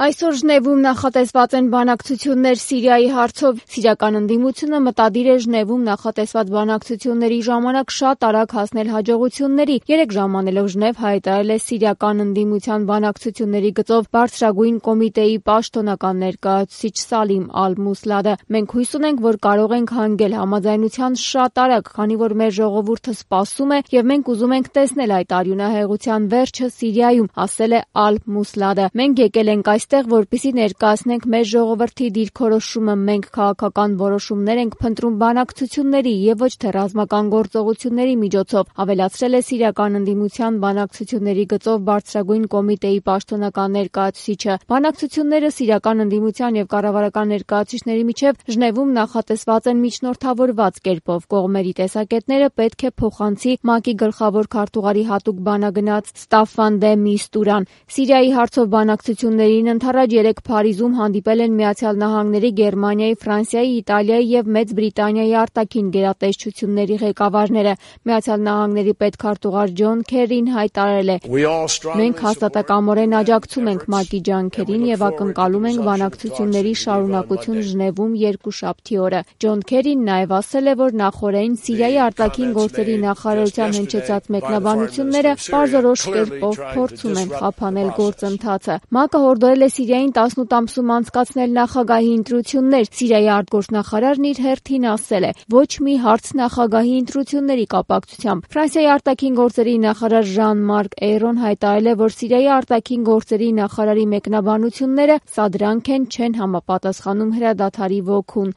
Այսօր Ժնևում նախատեսված են բանակցություններ Սիրիայի հարցով։ Սիրիական ընդդիմությունը մտադիր է Ժնևում նախատեսված բանակցությունների ժամանակ շատ արագ հասնել հաջողությունների։ 3 ժամ անելով Ժնև հայտարարել է Սիրիական ընդդիմության բանակցությունների գծով բարձրագույն կոմիտեի պաշտոնական ներկայացուցիչ Սալիմ Ալ-Մուսլադը։ Մենք հույս ունենք, որ կարող ենք հանգել համաձայնության շատ արագ, քանի որ մեր ժողովուրդը սպասում է եւ մենք ուզում ենք տեսնել այդ արյունահեղության վերջը Սիրիայում, ասել է Ալ-Մուսլադը։ Մենք եկել ենք այստեղ, որպեսզի ներկայացնենք մեր ժողովրդի դիրքորոշումը, մենք քաղաքական որոշումներ ենք փնտրում բանակցությունների եւ ոչ թե ռազմական գործողությունների միջոցով, ավելացրել է Սիրիական ընդդիմության բանակցությունների գծով բարձրագույն կոմիտեի պաշտոնական ներկայացուցիչը։ Բանակցությունները Սիրիական ընդդիմության եւ կառավարական ներկայացուցիչների միջև Ժնևում նախատեսված են միջնորդավորված կերպով։ Կողմերի տեսակետները պետք է փոխանցի ՄԱԿ-ի գլխավոր քարտուղարի հատուկ բանագնաց Ստաֆան դե Միստուրան։ Սիրիայի հարցով բանակցություններին ընդառաջ 3 Փարիզում հանդիպել են Միացյալ Նահանգների, Գերմանիայի, Ֆրանսիայի, Իտալիայի եւ Մեծ Բրիտանիայի արտաքին գերատեսչությունների ղեկավարները։ Միացյալ Նահանգների պետքարտուղար Ջոն Քերին հայտարարել է. «Մենք հաստատակամորեն աջակցում ենք ՄԱԿ-ի ջանքերին եւ ակնկալում ենք բանակցությունների շարունակություն Ժնևում երկուշաբթի օրը»։ Ջոն Քերին նաեւ ասել է, որ նախօրեին Սիրիայի արտաքին գործերի նախարարության հնչեցած մեկնաբանությունները պարզորոշ կերպով փորձում են խափանել գործընթացը։ ՄԱԿ-ը հորդորել է Սիրիային 18 ամսում անցկացնել նախագահի ընտրություններ։ Սիրիայի արտգործնախարարն իր հերթին ասել է. «Ոչ մի հարց նախագահի ընտրությունների կապակցությամբ»։ Ֆրանսիայի արտաքին գործերի նախարար Ժան-Մարկ Էյրոն հայտարարել է, որ Սիրիայի արտաքին գործերի նախարարի մեկնաբանությունները սադրանք են, չեն համապատասխանում հրադադարի ոգուն։